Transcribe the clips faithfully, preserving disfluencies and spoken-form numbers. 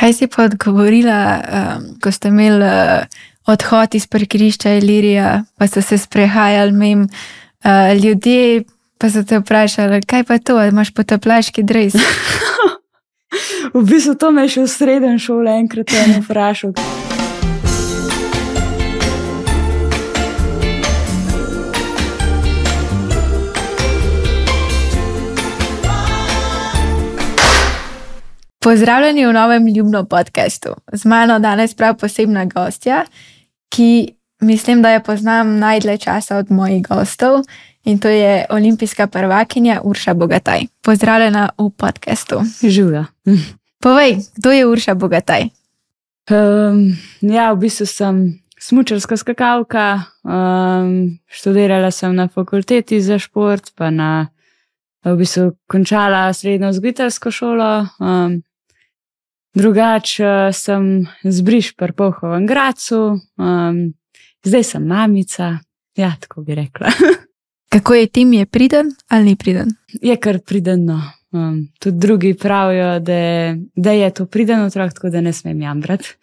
Kaj si pa odgovorila, um, ko ste imeli uh, odhod iz parkirišča Ilirija, pa so se sprehajali mimo uh, ljudje, pa so te vprašali, kaj pa to, imaš potapljaški dres? V bistvu to me je še v srednjem šole enkrat eno vprašal. Pozdravljeni v novem Ljubno podcastu. Z mano danes prav posebna gostja, ki mislim, da jo poznam najdlje časa od mojih gostov, in to je olimpijska prvakinja Urša Bogataj. Pozdravljena v podcastu. Živja. Povej, kdo je Urša Bogataj? Um, ja, v bistvu sem smučarska skakalka, um, študirala sem na fakulteti za šport, pa na, v bistvu končala srednjo vzgojiteljsko šolo. Um, drugač sem z Briš pri Polhovem Gradcu, um, zdaj sem mamica, ja, tako bi rekla. Kako je Tim, je priden ali ni priden? Je kar priden, no. Um, tudi drugi pravijo, da, da je to priden otrok, tako da ne smem jamrati.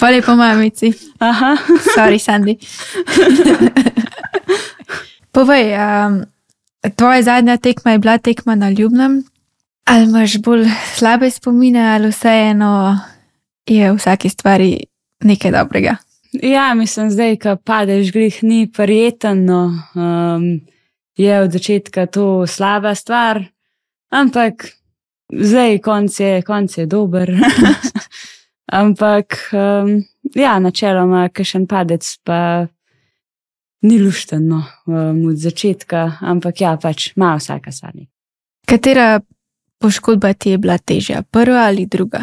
Hvala po mamici. Aha. Sorry, Sandy. Povej, um, tvoja zadnja tekma je bila tekma na Ljubnem. Ali imaš bolj slabe spomine, ali vseeno je v vsaki stvari nekaj dobrega? Ja, mislim, zdaj, ko padeš glih, ni prijetno. Um, je od začetka to slaba stvar, ampak zdaj konc je, konc je dober. Ampak, um, ja, načeloma, kakšen padec pa ni lušten, no, um, od začetka, ampak ja, pač ima vsaka stvar. Katera poškodba ti je bila težja, prva ali druga?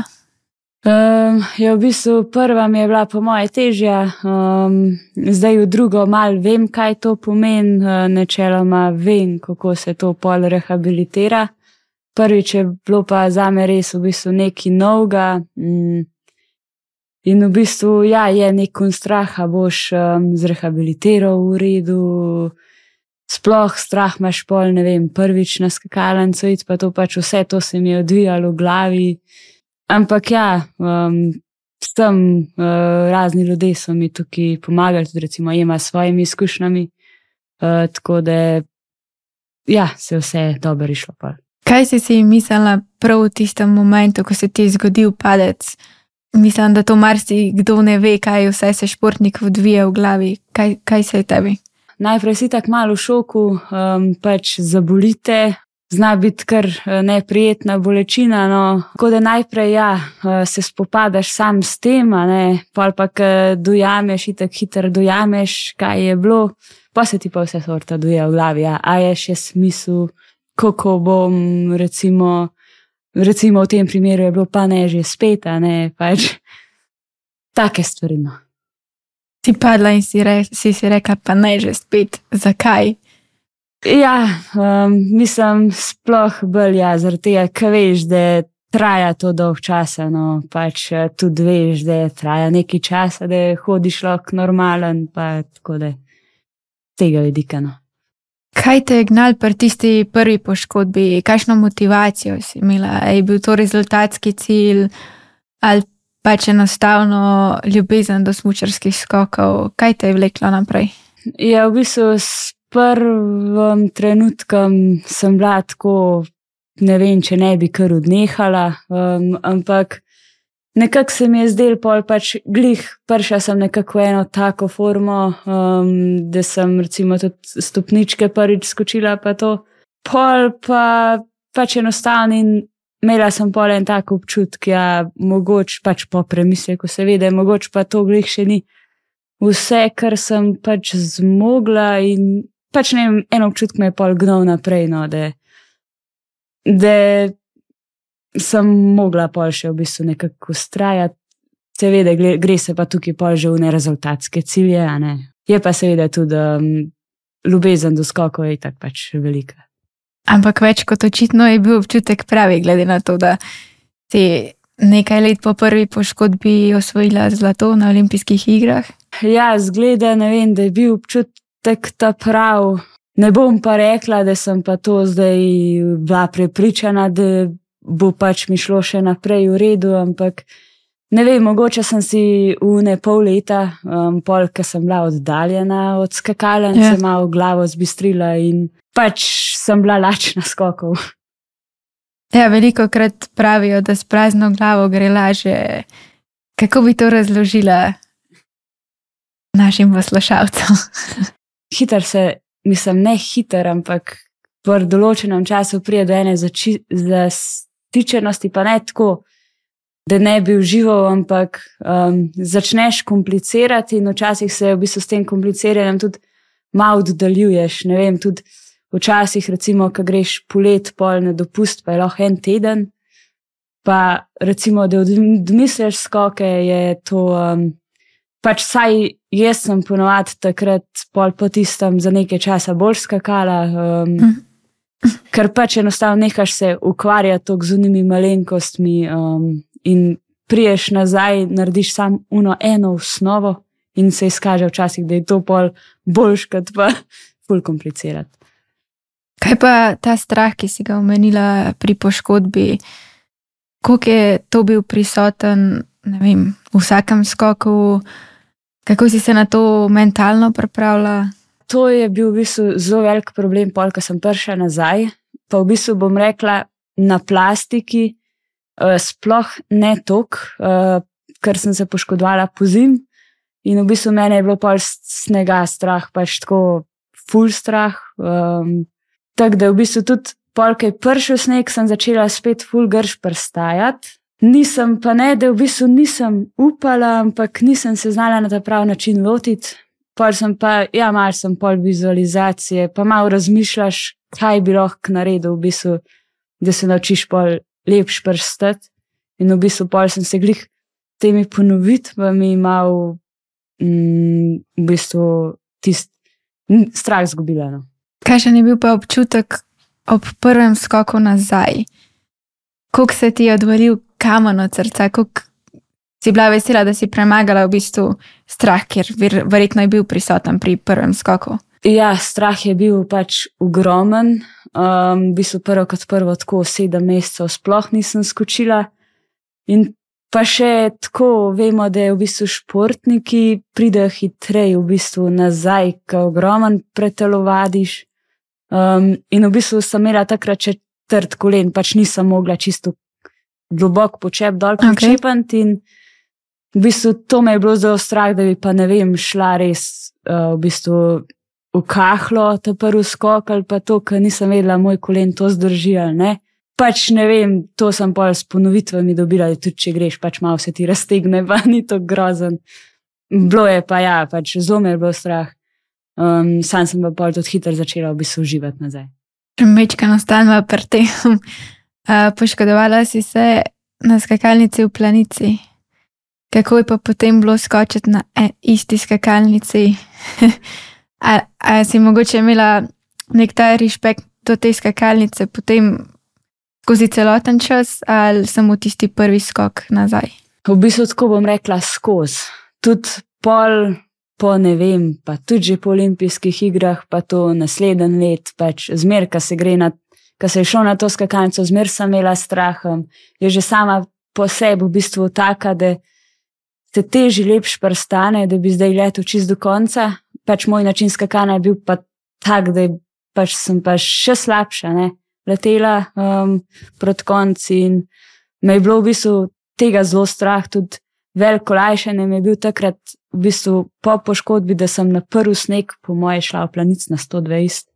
Um, ja, v bistvu prva mi je bila po moje težja, um, zdaj v drugo mal vem, kaj to pomeni, uh, načeloma vem, kako se to pol rehabilitira. Prvič je bilo pa zame res v bistvu nekaj novega, um, in v bistvu, ja, je nek strah, a boš um, zrehabilitiral v redu, sploh strah imaš pol, ne vem, prvič na skakalnico iti, pa to pač vse to se mi je odvijalo v glavi. Ampak ja, um, s tem uh, razni ljudje so mi tukaj pomagali, tudi recimo Ema s svojimi izkušnjami, uh, tako da ja, se vse dobro išlo. Pa. Kaj si si mislila prav v tistem momentu, ko se ti je zgodil padec? Mislim, da to marsi kdo ne ve, kaj vse se športnik odvija v glavi. Kaj, kaj se je tebi? Najprej si tak malo v šoku, um, pač zabolite. Zna biti kar neprijetna bolečina, no. Tako da najprej, ja, se spopadaš sam s tem, a ne, pol pa, ko dojameš, itak hitro dojameš, kaj je bilo, pa se ti pa vse sorta doje v glavi, ja. A je še smisel, kako bom, recimo, recimo v tem primeru je bilo pa ne že spet, a ne, pač take stvari, no. Si padla in si, re, si si rekla, pa ne že spet, zakaj? Ja, um, mislim, sploh bolj, ja, zaradi tega, ker veš, da traja to dolg časa, no, pač tudi veš, da traja nekaj časa, da hodiš lahko normalen, pa tako da tega vidika, no. Kaj te je gnal pri tisti prvi poškodbi? Kakšno motivacijo si imela? Je bil to rezultatski cilj ali pač enostavno ljubezen do smučarskih skokov? Kaj te je vleklo naprej? Ja, v bistvu s prvim trenutkom sem bila tako, ne vem, če ne bi kar odnehala, um, ampak nekako se mi je zdel pol pač glih, prišla sem nekako eno tako formo, um, da sem recimo tudi stopničke prvič skočila pa to. Pol pa pač enostavno in imela sem pol en tak občutek, ja, mogoče pač po premisleku se ve, da mogoče pa to glih še ni vse, kar sem pač zmogla in pač ne vem, en občutek me je pol gnal naprej, no, da, da sem mogla pol še v bistvu nekako ustrajati. Seveda gre se pa tukaj pol že v nerezultatske cilje, a ne. Je pa seveda tudi um, ljubezen do skokov je tak pač velika. Ampak več kot očitno je bil občutek pravi, glede na to, da si nekaj let po prvi poškodbi osvojila zlato na olimpijskih igrah. Ja, zgleda, ne vem, da je bil občutek ta prav. Ne bom pa rekla, da sem pa to zdaj bila prepričana, da bo pač mi šlo še naprej v redu, ampak ne vem, mogoče sem si v ne pol leta, um, pol, ker sem bila oddaljena od skakalnice, yeah. malo glavo zbistrila in pač sem bila lačna skokov. Ja, veliko krat pravijo, da s prazno glavo gre lažje. Kako bi to razložila našim poslušalcem? Hiter se, mislim, ne hiter, ampak v določenem času prije do ene zastičenosti, pa ne tako, da ne bi užival, ampak um, začneš komplicirati in včasih se v bistvu s tem kompliciranjem tudi malo oddaljuješ. Ne vem, tudi včasih, recimo, ko greš polet pol na dopust, pa je lahko en teden, pa recimo, da odmisliš skoke, je to, um, pač saj jaz sem ponovadi takrat pol po tistem za nekaj časa bolj skakala, um, mm. ker pač enostavno nehaš se ukvarjati toliko z unimi malenkostmi um, in priješ nazaj, narediš sam uno eno osnovo in se izkaže včasih, da je to pol boljš, kot pa ful komplicirati. Kaj pa ta strah, ki si ga omenila pri poškodbi, koliko je to bil prisoten, ne vem, v vsakem skoku, kako si se na to mentalno pripravila? To je bil v bistvu zelo velik problem, pol, ko sem prišla nazaj, pa v bistvu bom rekla na plastiki, uh, sploh ne tok, uh, ker sem se poškodovala pozim in v bistvu mene je bilo pol snega strah, pač tako ful strah, um, tako da v bistvu tudi pol, ko je prišel sneg, sem začela spet ful grš prestajati. Nisem pa ne, da v bistvu nisem upala, ampak nisem se znala na ta prav način lotiti. Pol sem pa, ja, malo sem pol vizualizacije, pa malo razmišljaš, kaj bi lahko naredil v bistvu, da se naučiš pol lepš prstati. In v bistvu pol sem se glih temi ponovitvami malo mm, v bistvu tist strah zgubila. No. Kakšen je bil pa občutek ob prvem skoku nazaj? Koliko se ti je odvalil kamen od srca? Koliko si bila vesela, da si premagala v bistvu strah, ker verjetno je bil prisoten pri prvem skoku? Ja, strah je bil pač ogromen. Um, v bistvu prvo kot prvo tako sedem mesecev sploh nisem skočila. In pa še tako vemo, da je v bistvu športniki pridejo hitreje v bistvu nazaj, ko ogromen pretelovadiš. Um, in v bistvu sem imela takrat še trd kolen, pač nisem mogla čisto globok počep dol počepati in v bistvu to me je bilo zelo strah, da bi pa ne vem, šla res uh, v bistvu v kahlo ta prvi skok ali pa to, ker nisem vedela, moj kolen to zdrži ali ne. Pač ne vem, to sem pol s ponovitvami dobila, da tudi če greš, pač malo se ti raztegne, pa ni to grozen. Bilo je pa ja, pač zelo me je bilo strah. Um, sam sem pa pol tudi hitro začela v bistvu uživati nazaj. Mečka nastanva pri tem. Uh, poškodovala si se na skakalnici v Planici. Kako je pa potem bilo skočiti na e, isti skakalnici? a, a si mogoče imela nek ta respekt do te skakalnice potem skozi celoten čas ali samo tisti prvi skok nazaj? V bistvu tako bom rekla skozi. Tudi pol po ne vem, pa tudi že po olimpijskih igrah, pa to naslednji let, pač zmer, ko se gre na, ko se je šel na to skakalnico, zmer sem imela strahom. Je že sama po sebi v bistvu taka, da se teži lepš prstane, da bi zdaj letel čist do konca. Pač moj način skakanja je bil pa tak, da pač sem pa še slabša, ne, letela um, proti konci in me je bilo v bistvu tega zelo strah, tudi veliko olajšanje mi je bil takrat v bistvu po poškodbi, da sem na prvi sneg po moje šla v Planic na sto dvajset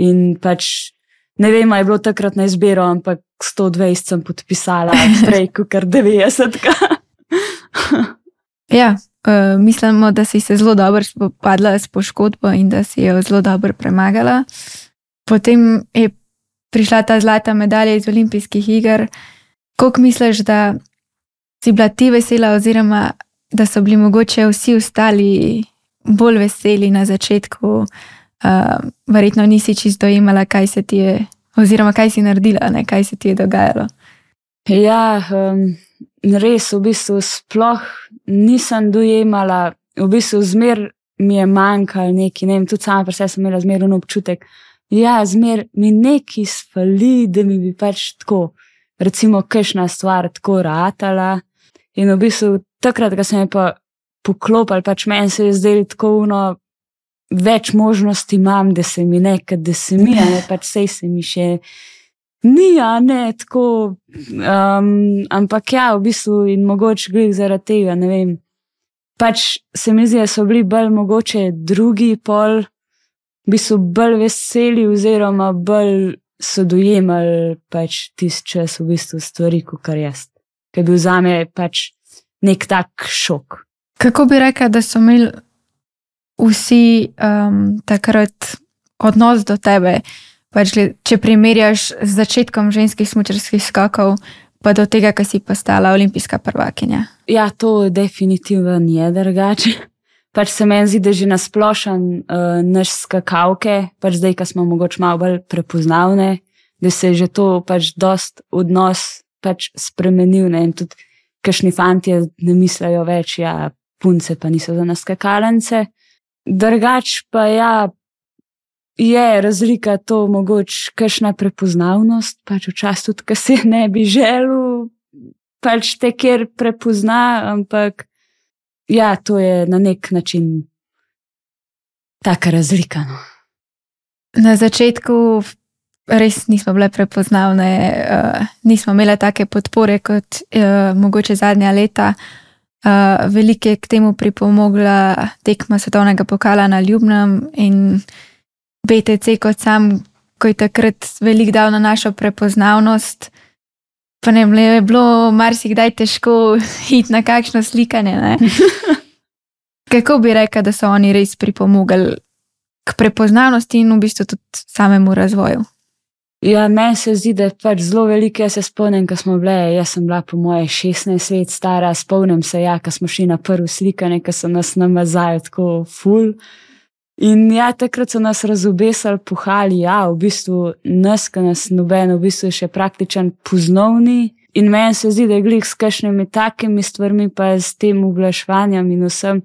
in pač ne vem, je bilo takrat na izbiro, ampak sto dvajset sem podpisala prej kakor devetdesetka. Ja, uh, mislimo, da si se zelo dobro spopadla s poškodbo in da si jo zelo dobro premagala. Potem je prišla ta zlata medalja iz olimpijskih iger. Koliko misliš, da si bila ti vesela oziroma da so bili mogoče vsi ostali bolj veseli na začetku? Uh, verjetno nisi čisto dojemala, kaj se ti je, oziroma kaj si naredila, ne, kaj se ti je dogajalo. Ja, um, res v bistvu sploh nisem dojemala, v bistvu zmer mi je manjkalo neki, ne vem, tudi sama pri sebi sem imela zmer občutek, ja, zmer mi neki sfali, da mi bi pač tako, recimo, kakšna stvar tako ratala. In v bistvu takrat, ko sem je pa poklopil, pač meni se je zdelo tako uno, več možnosti imam, da se mi nekaj, da se mi, a ne, pač sej se mi še ni, a ne, tako, um, ampak ja, v bistvu in mogoče glih zaradi tega, ne vem, pač se mi zdi, da so bili bolj mogoče drugi pol, v bistvu bolj veseli oziroma bolj so dojemali pač tist čas v bistvu stvari, kakor jaz. Ker je bil zame pač nek tak šok. Kako bi rekla, da so imeli vsi um, takrat odnos do tebe, pač, če primerjaš z začetkom ženskih smučarskih skokov, pa do tega, ko si postala olimpijska prvakinja? Ja, to definitivno je drugače. Pač se meni zdi, da že nasplošen uh, naš skakavke, pač zdaj, ko smo mogoče malo bolj prepoznavne, da se je že to pač dost odnos pač spremenil, ne, in tudi kakšni fantje ne mislijo več, ja, punce pa niso za nas skakalence. Drugač pa ja, je razlika to mogoče kakšna prepoznavnost, pač včasih tudi, ko se ne bi želel, pač te kjer prepozna, ampak ja, to je na nek način taka razlika. No. Na začetku res nismo bile prepoznavne, uh, nismo imele take podpore kot uh, mogoče zadnja leta. Uh, veliko je k temu pripomogla tekma svetovnega pokala na Ljubnem in B T C kot sam, ko je takrat veliko dal na našo prepoznavnost. Pa ne vem, je bilo marsikdaj težko iti na kakšno slikanje, ne? Kako bi rekla, da so oni res pripomogli k prepoznavnosti in v bistvu tudi samemu razvoju? Ja, meni se zdi, da je pač zelo veliko, jaz se spomnim, ko smo bile, jaz sem bila po moje šestnajst let stara, spomnim se, ja, ko smo šli na prvo slikanje, ko so nas namazali tako ful. In ja, takrat so nas razobesali, puhali, ja, v bistvu nas, ko nas noben v bistvu še praktičen poznovni. In meni se zdi, da je glih s kakšnimi takimi stvarmi, pa s tem uglaševanjem in vsem,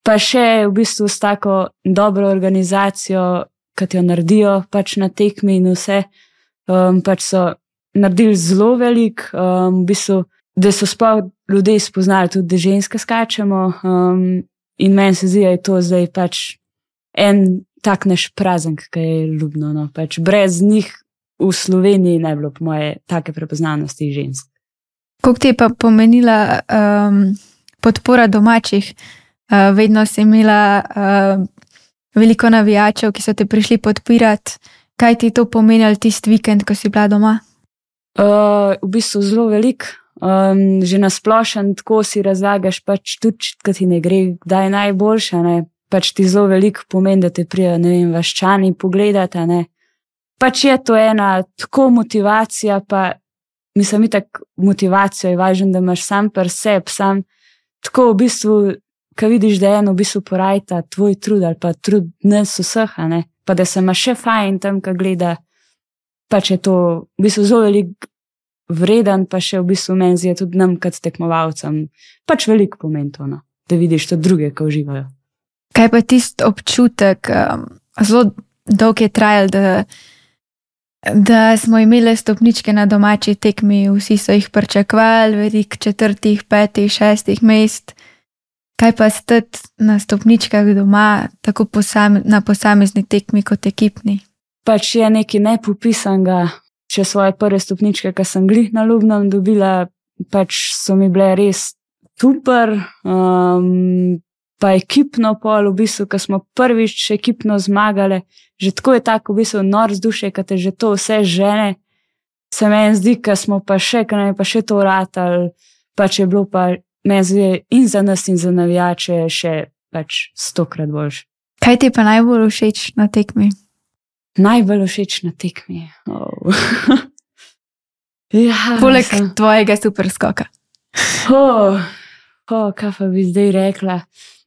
pa še v bistvu s tako dobro organizacijo, kot jo naredijo pač na tekmi in vse, um, pač so naredili zelo velik, um, v bistvu, da so sploh ljudje spoznali tudi, da ženske skačemo, um, in meni se zdi, da je to zdaj pač en tak naš praznik, ki je ljubno, no, pač brez njih v Sloveniji ne bilo po moje take prepoznavnosti žensk. Koliko ti je pa pomenila um, podpora domačih? Uh, vedno si imela uh, veliko navijačev, ki so te prišli podpirati. Kaj ti to pomenilo tist vikend, ko si bila doma? Uh, v bistvu zelo velik. Um, že nasplošen tako si razlagaš, pač tudi, ko ti ne gre, kdaj je najboljša, ne? Pač ti zelo veliko pomeni, da te prijo, ne vem, vaščani pogledati, ne. Pač je to ena tako motivacija, pa mislim, itak motivacijo je važno, da imaš sam pri sebi, sam tako v bistvu, ko vidiš, da je eno v bistvu porajta tvoj trud ali pa trud nas vseh, ne, pa da se ima še fajn tam, ko gleda, pač je to v bistvu zelo veliko vreden, pa še v bistvu meni zdi tudi nam kot tekmovalcem, pač veliko pomeni to, no, da vidiš to druge, ko uživajo. Kaj pa tist občutek, um, zelo dolg je trajal, da, da smo imeli stopničke na domači tekmi, vsi so jih pričakovali, veliko četrtih, petih, šestih mest. Kaj pa stati na stopničkah doma, tako posame, na posamezni tekmi kot ekipni? Pač je nekaj nepopisanega, še svoje prve stopničke, ki sem glih na Ljubnem dobila, pač so mi bile res super, um, pa ekipno pol, v bistvu, ko smo prvič ekipno zmagali, že tako je tako v bistvu nor vzdušje, ko te že to vse žene, se meni zdi, ko smo pa še, ko nam je pa še to ratali, pač je bilo pa meni zdi in za nas in za navijače še pač stokrat boljše. Kaj ti je pa najbolj všeč na tekmi? Najbolj všeč na tekmi? Oh. ja, Poleg sem... tvojega super skoka. Oh, oh, kaj pa bi zdaj rekla?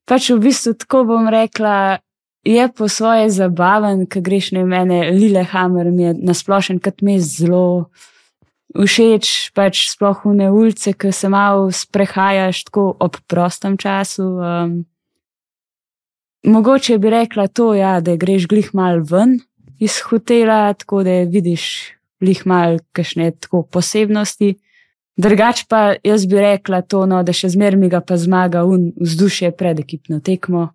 Pač v bistvu tako bom rekla, je po svoje zabaven, ko greš ne mene, Lillehammer mi je nasplošen, kot mi je zelo všeč, pač sploh v ne ulice, ko se malo sprehajaš tako ob prostem času. Um, mogoče bi rekla to, ja, da greš glih mal ven iz hotela, tako da vidiš glih mal kakšne tako posebnosti. Drugač pa jaz bi rekla to, no, da še zmer mi ga pa zmaga un vzdušje pred ekipno tekmo,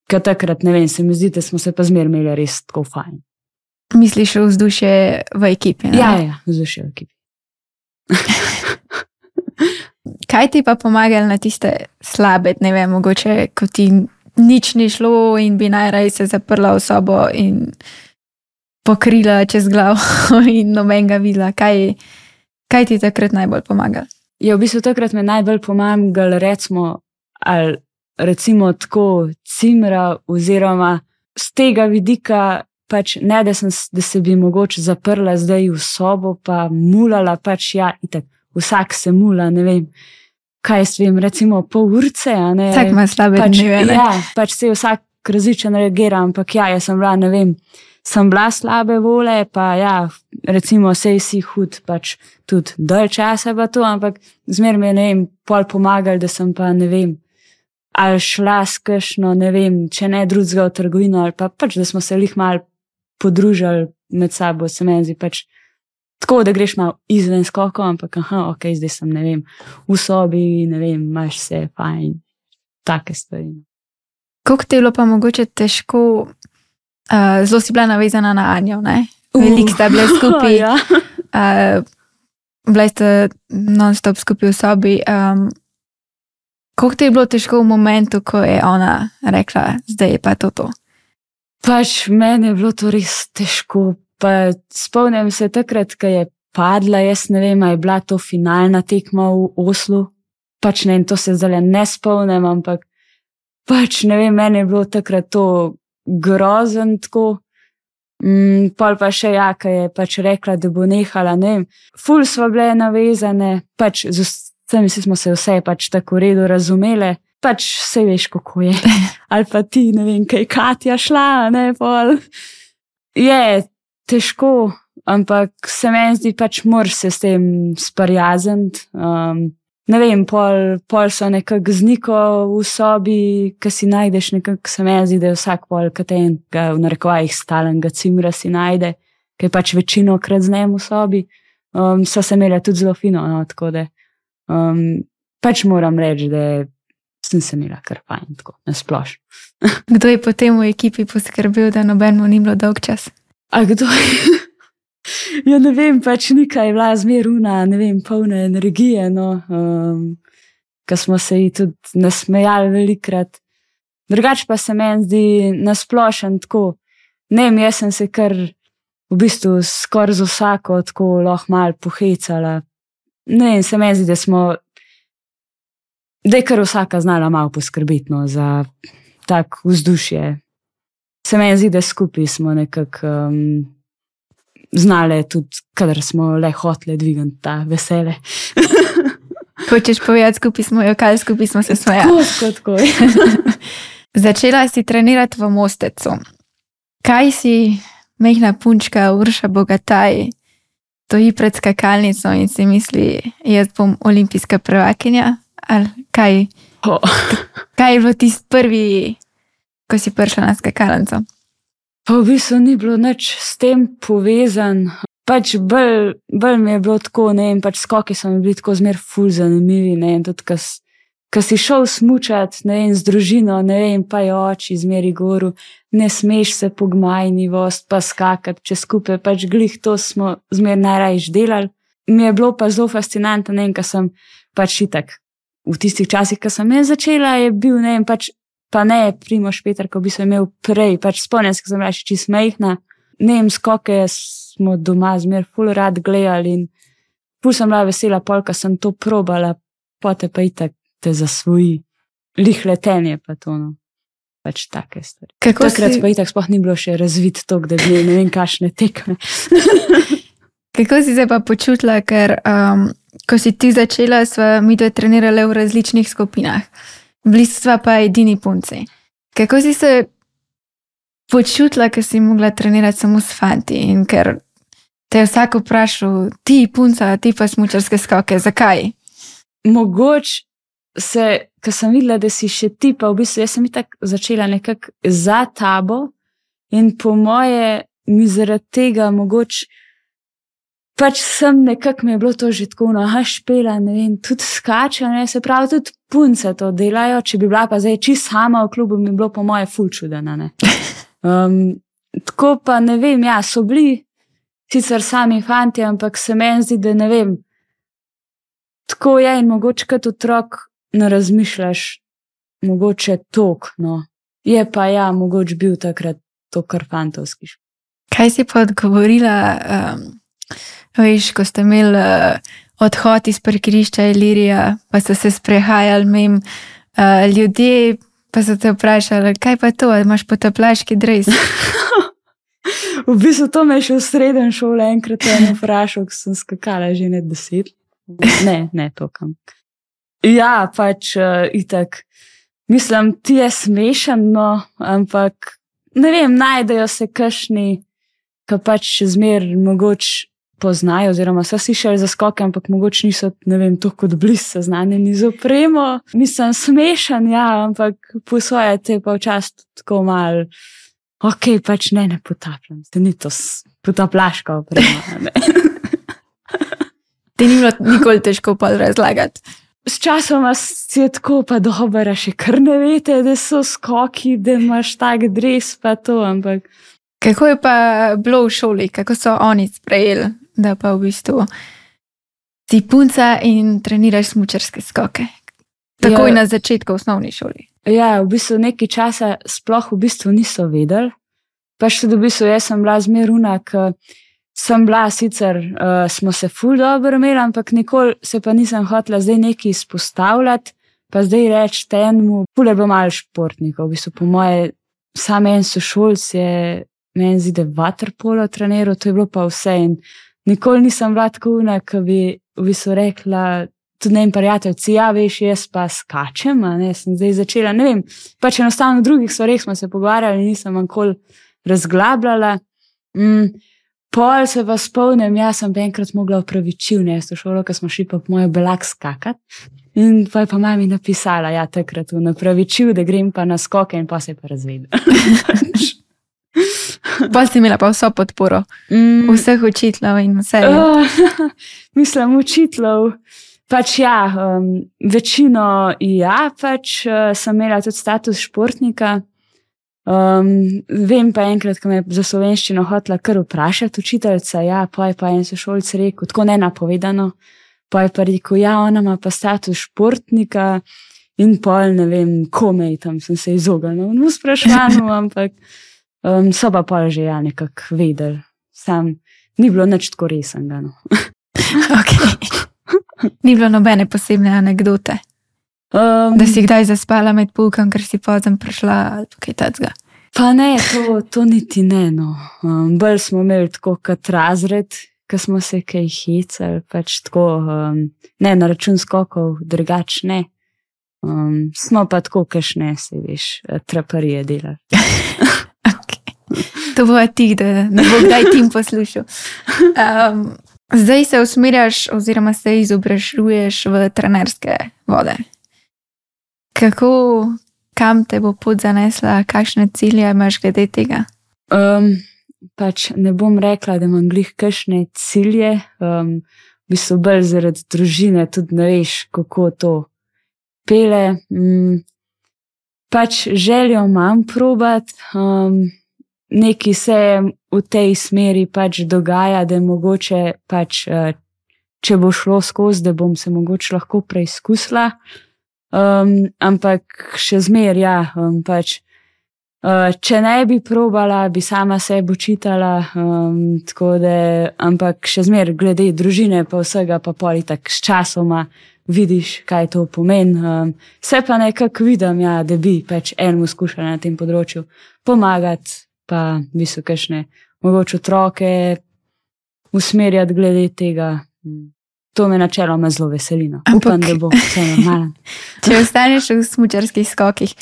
ker takrat, ne vem, se mi zdi, da smo se pa zmer imeli res tako fajn. Misliš vzdušje v ekipi? Ne? Ja, ja, vzdušje v ekipi. Kaj ti pa pomagali na tiste slabe, ne vem, mogoče, ko ti nič ni šlo in bi najraje se zaprla v sobo in pokrila čez glavo in noben ga videla. Kaj, kaj ti takrat najbolj pomaga? Ja, v bistvu takrat me najbolj pomagali, recimo, ali recimo tako cimra oziroma z tega vidika, pač ne, da, sem, da se bi mogoče zaprla zdaj v sobo, pa mulala, pač ja, itak, vsak se mula, ne vem, kaj s vem, recimo pol urce, a ne. Vsak ima slabe pač, dneve, ne? Ja, pač se vsak različen reagira, ampak ja, jaz sem bila, ne vem, sem bila slabe vole, pa ja, recimo sej si hud, pač tudi dalj časa pa to, ampak zmer me, ne vem, pol pomagali, da sem pa, ne vem, ali šla s kakšno, ne vem, če ne drugega v trgovino, ali pa pač, da smo se lih malo podružali med sabo, se meni zdi pač tako, da greš malo izven skoko, ampak aha, ok, zdaj sem, ne vem, v sobi, ne vem, imaš se fajn, take stvari. Koliko ti je bilo pa mogoče težko, uh, zelo si bila navezana na Anjo, ne? Veliko sta bile skupaj, ja. uh, bila ste non-stop skupaj v sobi. Um, koliko ti je bilo težko v momentu, ko je ona rekla, zdaj je pa to to? Pač meni je bilo to res težko, pa spomnim se takrat, ko je padla, jaz ne vem, a je bila to finalna tekma v Oslu, pač ne, in to se zdaj ne spomnim, ampak pač ne vem, meni je bilo takrat to grozen tako, mm, pol pa še ja, ko je pač rekla, da bo nehala, ne vem, ful sva bile navezane, pač z vsemi smo se vse pač tako v redu razumele, pač vse veš, kako je. Ali pa ti, ne vem, kaj Katja šla, ne, pol. Je težko, ampak se meni zdi, pač moraš se s tem sprijazniti. Um, ne vem, pol, pol so nekako z Niko v sobi, ki si najdeš nekako, se meni zdi, da je vsak pol katenega v narekovajih stalenega cimra si najde, ki je pač večino krat z njem v sobi. Um, so se imeli tudi zelo fino, no, tako da um, pač moram reči, da sem se imela kar fajn, tako, nasplošno. Kdo je potem v ekipi poskrbel, da nobenemu ni bilo dolg čas? A kdo je? Ja, ne vem, pač Nika je bila zmeruna, ne vem, polna energije, no, um, ko smo se ji tudi nasmejali velikrat. Drugač pa se meni zdi nasplošen tako, ne vem, jaz sem se kar v bistvu skoraj z vsako tako lahko malo pohecala. Ne vem, se meni zdi, da smo da je kar vsaka znala malo poskrbiti, no, za tak vzdušje. Se meni zdi, da skupaj smo nekako um, znale tudi, kadar smo le hotele dvigati ta vesele. Hočeš povedati, skupaj smo jokali, skupaj smo se smejali. Tako, tako. Začela si trenirati v Mostecu. Kaj si, majhna punčka Urša Bogataj, stoji pred skakalnico in si misli, jaz bom olimpijska prvakinja? Ali kaj? Oh. Kaj je bilo tisti prvi, ko si prišla na skakalnico? Pa v bistvu ni bilo nič s tem povezan. Pač bolj, bolj mi je bilo tako, ne vem, pač skoki so mi bili tako zmer ful zanimivi, ne vem, tudi ko si šel smučati, ne vem, z družino, ne vem, pa je oči zmeri goru, ne smeš se po gmajnivost, pa skakati čez skupaj, pač glih to smo zmer najrajš delali. Mi je bilo pa zelo fascinantno, ne vem, ko sem pač itak v tistih časih, ko sem jaz začela, je bil, ne vem, pač, pa ne Primož Peter, ko bi se imel prej, pač spomnim se, ko sem bila še čist majhna, ne vem, skoke smo doma zmer ful rad gledali in ful sem bila vesela, pol, ko sem to probala, potem pa itak te zasvoji, lih letenje pa to, no, pač take stvari. Kako Takrat si... pa itak sploh ni bilo še razvit tok, da bi ne vem, kakšne tekme. Kako si se pa počutila, ker um, ko si ti začela, sva mi dve trenirale v različnih skupinah. Bili sva pa edini punci. Kako si se počutila, ker si mogla trenirati samo s fanti in ker te je vsak vprašal, ti punca, ti pa smučarske skoke, zakaj? Mogoče se, ko sem videla, da si še ti, pa v bistvu jaz sem itak začela nekako za tabo in po moje mi zaradi tega mogoče pač sem nekako mi je bilo to že tako, no, ha, špela, ne vem, tudi skače, ne, se pravi, tudi punce to delajo, če bi bila pa zdaj čist sama v klubu, mi je bilo po moje ful čudena, ne. Um, tako pa ne vem, ja, so bili sicer sami fanti, ampak se meni zdi, da ne vem, tako je in mogoče kot otrok ne razmišljaš, mogoče tok, no. Je pa ja, mogoče bil takrat to kar fantovski. Kaj si pa odgovorila, um, veš, ko ste imeli uh, odhod iz parkirišča Ilirija, pa so se sprehajali mim uh, ljudje, pa so te vprašali, kaj pa to, imaš potapljaški dres? V bistvu to me je še v srednjem šole enkrat eno vprašal, ko sem skakala že ne deset. Ne, ne tokam. Ja, pač uh, itak. Mislim, ti je smešen, no, ampak ne vem, najdejo se kakšni, ki pač še zmer mogoče poznajo, oziroma so si šli za skoke, ampak mogoče niso, ne vem, to kot bliz seznanjeni z opremo. Mislim, smešen, ja, ampak po svoje te pa včasih tako malo, ok, pač ne, ne potapljam, te ni to potapljaška oprema, ne. Ti ni bilo nikoli težko pa razlagati. S časoma si je tako pa dobro, še kar ne vete, da so skoki, da imaš tak dres pa to, ampak... Kako je pa bilo v šoli? Kako so oni sprejeli, da pa v bistvu si punca in treniraš smučarske skoke? Takoj ja, na začetku v osnovni šoli. Ja, v bistvu nekaj časa sploh v bistvu niso vedeli. Pa še v bistvu jaz sem bila zmeruna, ker sem bila sicer, uh, smo se ful dobro imeli, ampak nikoli se pa nisem hotela zdaj nekaj izpostavljati, pa zdaj reči enemu, ful je bilo malo športnikov, v bistvu po moje, sam en sošolc je, meni zdi, da vaterpolo treniral, to je bilo pa vse in nikoli nisem bila tako una, ki bi v bistvu rekla, tudi ne vem, prijateljci, ja, veš, jaz pa skačem, a ne, sem zdaj začela, ne vem, pač enostavno v drugih stvareh smo se pogovarjali, nisem nikoli razglabljala. Mm, Pol se pa spomnim, jaz sem pa enkrat mogla opravičivne, jaz v šolo, ko smo šli pa po mojo belak skakat. In pa je pa mami napisala, ja, takrat v napravičiv, da grem pa na skoke in pa se je pa razvedela. Pa si imela pa vso podporo. Mm. Vseh učiteljev in vse. Uh, mislim, učiteljev. Pač ja, um, večino ja, pač uh, sem imela tudi status športnika. Um, vem pa enkrat, ko me je za slovenščino hotela kar vprašati učiteljica, ja, pa je pa en sošolc rekel, tako nenapovedano, pa je pa rekel, ja, ona ima pa status športnika in pol, ne vem, komej, tam sem se izognila v spraševanju, ampak um, so pa pol že ja nekako vedeli. Sam ni bilo nič tako resnega, no. Ok. Ni bilo nobene posebne anekdote. Um, da si kdaj zaspala med poukom, ker si pozem prišla ali kaj tacga? Pa ne, to, to niti ne, no. Um, bolj smo imeli tako kot razred, ko smo se kaj hecali, pač tako, um, ne na račun skokov, drugač ne. Um, smo pa tako, kašne se, veš, traparije delali. Okay. To bo ti, da ne bo kdaj tim poslušal. Um, zdaj se usmerjaš oziroma se izobražuješ v trenerske vode. Kako, kam te bo pot zanesla, kakšne cilje imaš glede tega? Um, pač ne bom rekla, da imam glih kakšne cilje, um, v bistvu bolj zaradi družine, tudi ne veš, kako to pele. Um, pač željo imam probat, um, nekaj se v tej smeri pač dogaja, da mogoče pač, uh, če bo šlo skozi, da bom se mogoče lahko preizkusila. Um, ampak še zmer, ja, um, pač, uh, če ne bi probala, bi sama sebe učitala, um, tako da, ampak še zmer, glede družine pa vsega, pa pol itak s časoma vidiš, kaj to pomeni. Um, se pa nekako vidim, ja, da bi pač enemu skušala na tem področju pomagati, pa bi so kakšne mogoče otroke usmerjati glede tega. To me načeloma zelo veselino. Upam, da bo vse normalen. Če ostaneš v smučarskih skokih,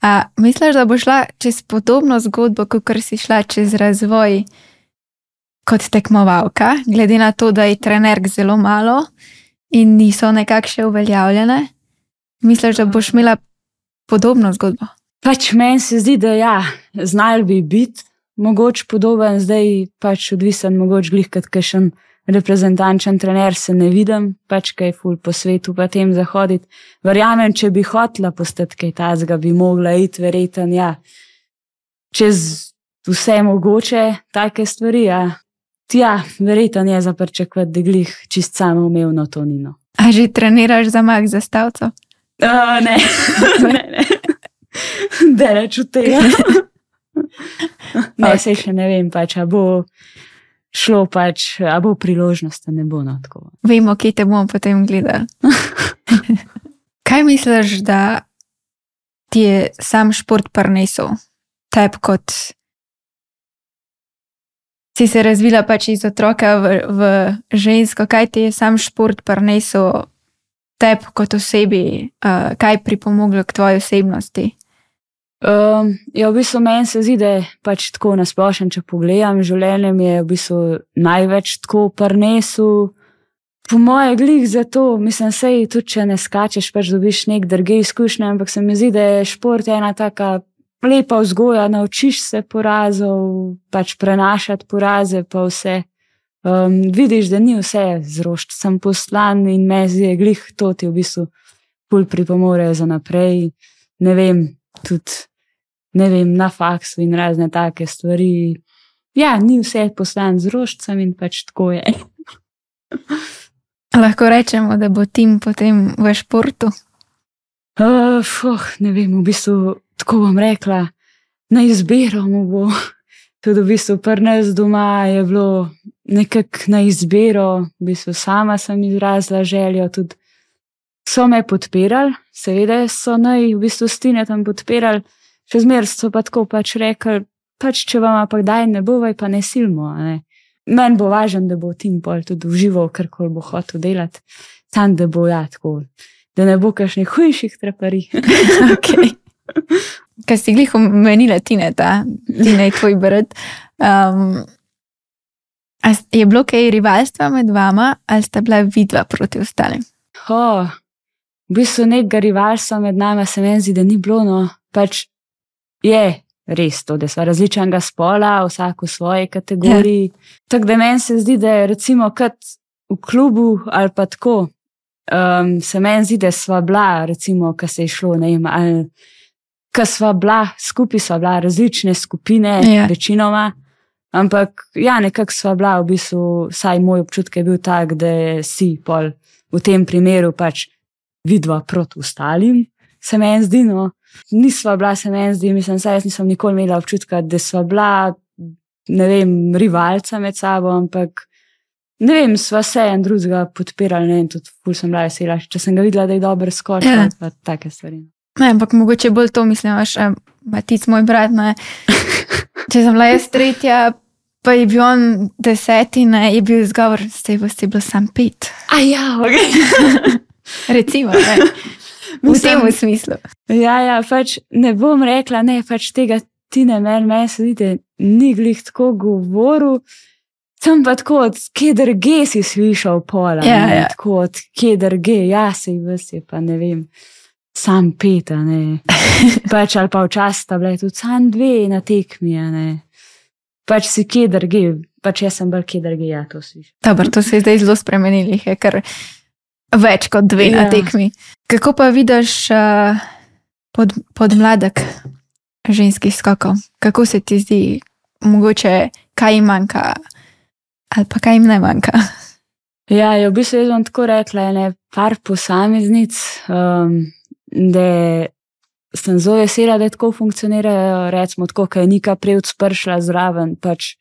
a misliš, da bo šla čez podobno zgodbo, kot si šla čez razvoj kot tekmovalka, glede na to, da je trenerk zelo malo in niso nekako še uveljavljene? Misliš, da boš imela podobno zgodbo? Pač meni se zdi, da ja, znali bi biti mogoče podoben, zdaj pač odvisen mogoče glih kot kakšen reprezentančen trener, se ne vidim, pač kaj ful po svetu pa tem zahoditi. Verjamem, če bi hotela postati kaj tazga, bi mogla iti verjeten, ja, čez vse mogoče take stvari, ja. Ja, verjeten je za pričakovati, da glih čist samoumevno to ni, no. A že treniraš za mak za stavco? Uh, ne, ne, ne. Deleč od tega. Ne, sej še ne vem pač, a bo šlo pač, a bo priložnost, a ne bo, no, tako. Vemo, kje te bomo potem gledali. Kaj misliš, da ti je sam šport prinesel? Teb kot si se razvila pač iz otroka v, v žensko, kaj ti je sam šport prinesel teb kot osebi, uh, kaj pripomoglo k tvoji osebnosti? Um, ja, v bistvu meni se zdi, da je pač tako nasplošen, če pogledam, življenje mi je v bistvu največ tako prinesel. Po moje glih zato, mislim, sej tudi, če ne skačeš, pač dobiš nek druge izkušnje, ampak se mi zdi, da je šport ena taka lepa vzgoja, naučiš se porazov, pač prenašati poraze pa vse. Um, vidiš, da ni vse zrošč, sem poslan in me zdi, glih to ti v bistvu ful pripomore za naprej. Ne vem, tudi ne vem, na faksu in razne take stvari. Ja, ni vse poslan z rožcem in pač tako je. Lahko rečemo, da bo tim potem v športu? Uh, fuh, ne vem, v bistvu tako bom rekla, na izbiro mu bo. Tudi v bistvu pri nas doma je bilo nekako na izbiro, v bistvu sama sem izrazila željo, tudi so me podpirali, seveda so naj v bistvu stine tam podpirali, še zmer so pa tako pač rekli, pač če vam pa kdaj ne bo, vaj pa ne silmo. Ne. Meni bo važen, da bo tim pol tudi užival, karkoli bo hotel delati, sam da bo ja tako, da ne bo kakšnih hujših trepari. Okay. Kaj si glih omenila Tineta, Tina je tvoj brat, um, je bilo kaj rivalstva med vama ali sta bila vidva proti ostalim? Oh, v bistvu nekega rivalstva med nama se meni zdi, da ni bilo, no, pač je res to, da sva različnega spola, vsak v svoji kategoriji. Ja. Tako da meni se zdi, da je recimo kot v klubu ali pa tako, um, se meni zdi, da sva bila, recimo, ko se je šlo, ne vem, ali ko sva bila, skupaj sva bila različne skupine, ja. Večinoma, ampak ja, nekako sva bila v bistvu, vsaj moj občutek je bil tak, da si pol v tem primeru pač vidva proti ostalim, se meni zdi, no. Nisva bila, se meni zdi, mislim, saj jaz nisem nikoli imela občutka, da sva bila, ne vem, rivalca med sabo, ampak ne vem, sva se en drugega podpirali, ne vem, tudi ful sem bila vesela, če sem ga videla, da je dobro skočila, ja. Pa take stvari. Ne, ampak mogoče bolj to mislim, vaš Matic, moj brat, ne. Če sem bila jaz tretja, pa je bil on deseti, ne, je bil izgovor, ste boste bilo sam pet. A ja, ok. Recimo, ne. V tem smislu. Ja, ja, pač ne bom rekla, ne, pač tega ti ne meni, meni se zdi, ni glih tako govoril, sem pa tako od kje drge si slišal pola, ja, ne, ja. Tako od kje drge, ja, se je vse, pa ne vem, sam peta, ne, pač ali pa včasih sta bile tudi sam dve na tekmi, ne, pač si kje drge, pač jaz sem bolj kje drge, ja, to slišal. Dobar, to se je zdaj zelo spremenili, je kar več kot dve ja. Na tekmi. Kako pa vidiš uh, pod, podmladek ženskih skokov? Kako se ti zdi, mogoče kaj jim manjka ali pa kaj jim ne manjka? Ja, v bistvu jaz bom tako rekla, ne, par posameznic, um, da sem zelo vesela, da tako funkcionirajo, recimo tako, kaj je Nika Prevc prišla zraven, pač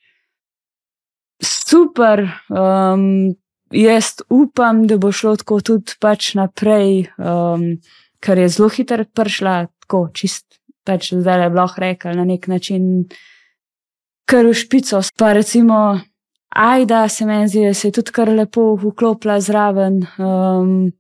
super, um, jaz upam, da bo šlo tako tudi pač naprej, um, ker je zelo hitro prišla, tako čist, pač zdaj je bilo rekel na nek način kar v špico. Pa recimo Ajda se meni zdi, da se je tudi kar lepo vklopila zraven. Um,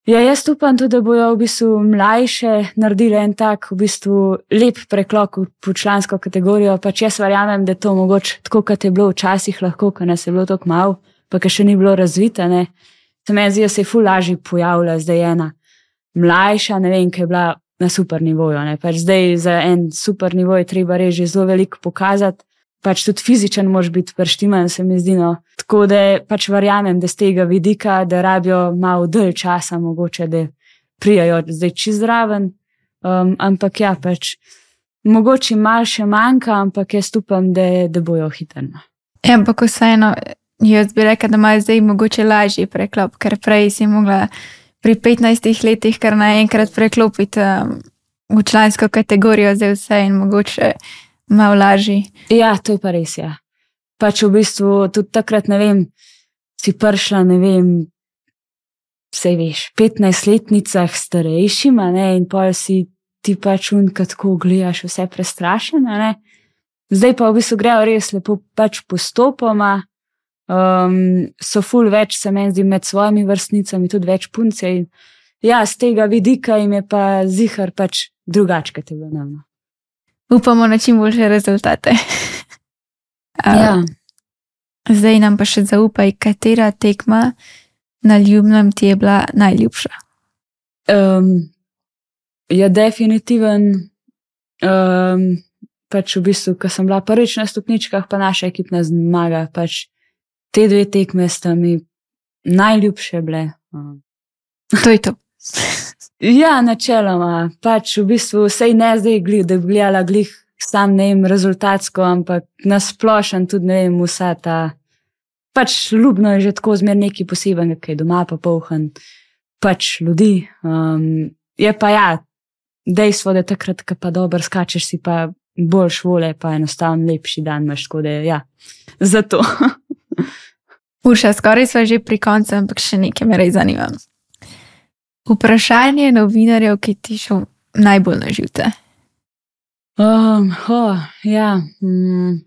ja, jaz upam tudi, da bojo v bistvu mlajše naredile en tak v bistvu lep preklop v člansko kategorijo, pač jaz verjamem, da to mogoče tako, kot je bilo včasih lahko, ko nas je bilo tako malo, pa ki še ni bilo razvita, ne. Se meni zdi, da se je ful lažje pojavila zdaj ena mlajša, ne vem, ki je bila na super nivoju, ne. Pač zdaj za en super nivo je treba res že zelo veliko pokazati, pač tudi fizičen moraš biti preštiman, se mi zdi. No. Tako da pač verjamem, da z tega vidika, da rabijo malo dalj časa, mogoče, da prijajo zdaj čist zraven. Um, ampak ja, pač mogoče malo še manjka, ampak jaz upam, da, da bojo hitrno. Ja, ampak vseeno, jaz bi rekla, da imajo zdaj mogoče lažji preklop, ker prej si mogla pri petnajstih letih kar naenkrat preklopiti um, v člansko kategorijo, zdaj vse in mogoče malo lažji. Ja, to je pa res, ja. Pač v bistvu tudi takrat, ne vem, si prišla, ne vem, vse veš, petnajstletnicah starejšima, ne, in pol si ti pač unka tako gledaš vse prestrašena, ne. Zdaj pa v bistvu grejo res lepo pač postopoma, um, so ful več, se meni zdi, med svojimi vrstnicami, tudi več punce in ja, z tega vidika jim je pa zihar pač drugačka tega nam. Upamo na čim boljše rezultate. Ja. Zdaj nam pa še zaupaj, katera tekma na Ljubnem ti je bila najljubša? Um, ja, definitiven. Um, pač v bistvu, ko sem bila prvič na stopničkah, pa naša ekipna zmaga, pač te dve tekme sta mi najljubše bile. Um. To je to. Ja, načeloma. Pač v bistvu vsej ne zdaj, da bi gledala glih sam, ne vem, rezultatsko, ampak nasplošen tudi, ne vem, vsa ta. Pač ljubno je že tako zmer nekaj poseben, kaj je doma pa polhan, pač ljudi. Um, je pa ja, dejstvo, da takrat, ko pa dobro skačeš, si pa boljš vole, pa enostavno lepši dan imaš, tako da ja, zato. Urša, skoraj sva že pri koncu, ampak še nekaj me res zanima. Vprašanje novinarjev, ki ti šel najbolj na živce? Um, oh, ja. Mm.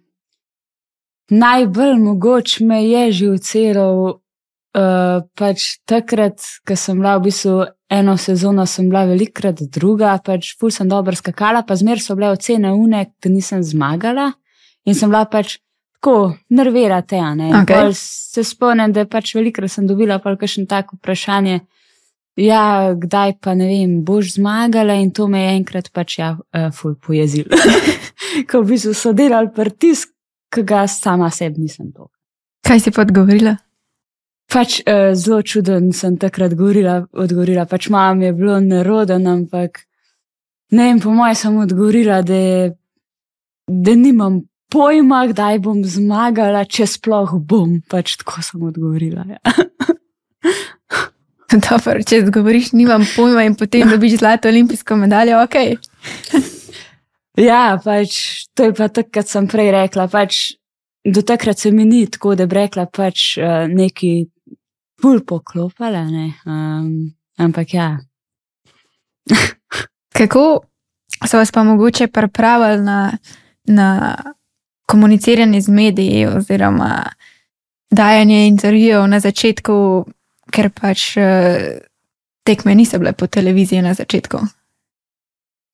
Najbolj mogoč me je živceral uh, pač takrat, ko sem bila v bistvu eno sezono, sem bila velikrat druga, pač ful sem dobro skakala, pa zmer so bile ocene une, da nisem zmagala in sem bila pač tako nervirate, ne. Okay. Se spomnim, da pač velikrat sem dobila pa kakšno tako vprašanje, ja, kdaj pa, ne vem, boš zmagala in to me je enkrat pač ja, uh, ful pojezil. Ko v bistvu so delali pritisk, ki ga sama sebi nisem to. Kaj si pa odgovorila? Pač uh, zelo čuden sem takrat govorila, odgovorila, pač mam je bilo neroden, ampak ne vem, po moje sem odgovorila, da, da nimam pojma, kdaj bom zmagala, če sploh bom, pač tako sem odgovorila, ja. Dobro, če odgovoriš, nimam pojma in potem dobiš zlato olimpijsko medaljo, okej. Okay. Ja, pač to je pa tako, kot sem prej rekla, pač do takrat se mi ni tako, da bi rekla pač uh, neki ful poklopala, ne, um, ampak ja. Kako so vas pa mogoče pripravili na, na komuniciranje z mediji oziroma dajanje intervjujev na začetku, ker pač tekme niso bile po televiziji na začetku?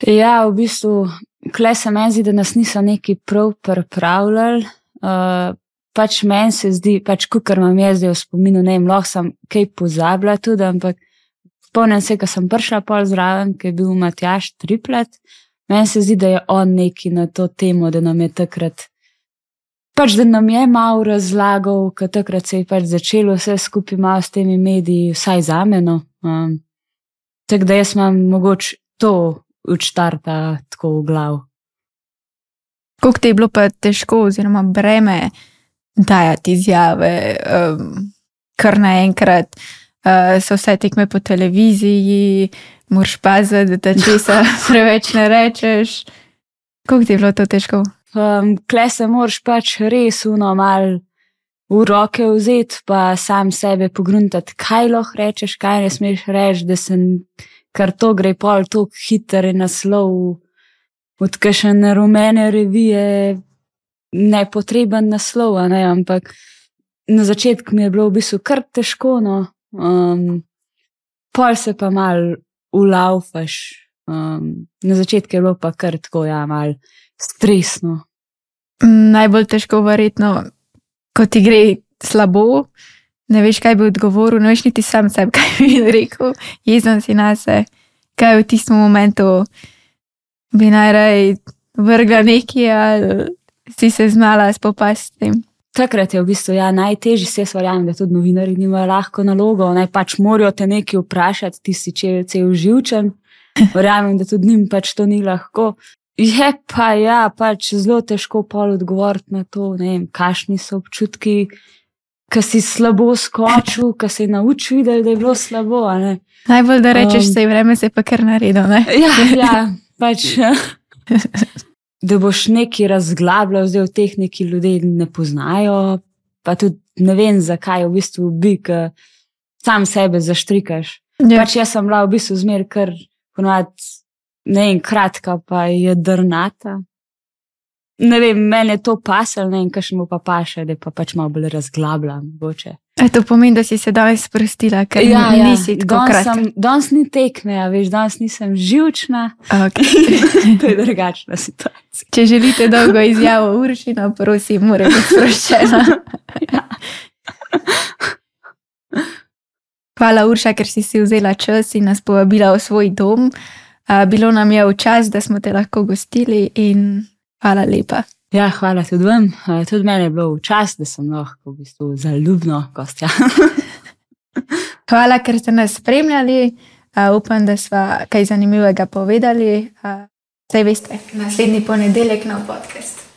Ja, v bistvu, kle se meni zdi, da nas niso neki prav pripravljali. Uh, pač meni se zdi, pač kukar imam jaz zdaj v spominu, ne vem, lahko sem kaj pozabila tudi, ampak spomnim se, ko sem prišla pol zraven, ko je bil Matjaž Triplet, meni se zdi, da je on neki na to temo, da nam je takrat pač, da nam je malo razlagal, ker takrat se je pač začelo vse skupaj malo s temi mediji, vsaj zame, no. Um, tako da jaz imam mogoče to od štarta tako v glav. Koliko ti je bilo pa težko oziroma breme dajati izjave, um, kar naenkrat uh, so vse tekme po televiziji, moraš paziti, da česa preveč ne rečeš. Koliko ti je bilo to težko? Um, kle se moraš pač res uno mal v roke vzeti, pa sam sebe pogruntati, kaj lahko rečeš, kaj ne smeš reči, da sem, kar to gre pol toliko hiter naslov od kakšne rumene revije, nepotreben naslov, ne, ampak na začetku mi je bilo v bistvu kar težko, no, um, pol se pa mal ulaufaš, um, na začetku je bilo pa kar tako, ja, mal stresno. Najbolj težko verjetno, ko ti gre slabo, ne veš, kaj bi odgovoril, ne veš niti sam sebi, kaj bi rekel, jezen si nase, kaj v tistem momentu bi najraj vrgla nekaj ali si se znala spopasti s tem? Takrat je v bistvu ja, najtežji, se jaz verjamem, da tudi novinarji nimajo lahko nalogo, naj pač morajo te nekaj vprašati, ti si cel živčen. Verjamem, da tudi njim pač to ni lahko. Je pa ja, pač zelo težko pol odgovoriti na to, ne vem, kakšni so občutki, ko si slabo skočil, ko si naučil videl, da je bilo slabo, a ne. Najbolj, da rečeš, um, sej vreme se je pa kar naredil, ne? Ja, ja, pač... da boš nekaj razglabljal, zdaj v tehniki ljudje ne poznajo, pa tudi ne vem, zakaj v bistvu bi, ker sam sebe zaštrikaš. Ja. Pač jaz sem bila v bistvu zmer kar ponovadi, ne vem, kratka pa je drnata. Ne vem, mene to pasal, ne vem, kakšno pa paše, da pa pač malo bolj razglabljam, boče. E, to pomeni, da si se danes sprostila, ker ja, nisi ja. tako kratka. Danes ni tekme, ja, veš, danes nisem živčna. Okay. To je drugačna situacija. Če želite dolgo izjavo Uršino, prosim, mora biti sproščena. Ja. Hvala, Urša, ker si si vzela čas in nas povabila v svoj dom. Bilo nam je v čas, da smo te lahko gostili in hvala lepa. Ja, hvala tudi vam. Tudi meni je bilo v čas, da sem lahko v bistvu zaljubno gostja. Hvala, ker ste nas spremljali. Upam, da sva kaj zanimivega povedali. Saj veste, naslednji ponedeljek nov podcast.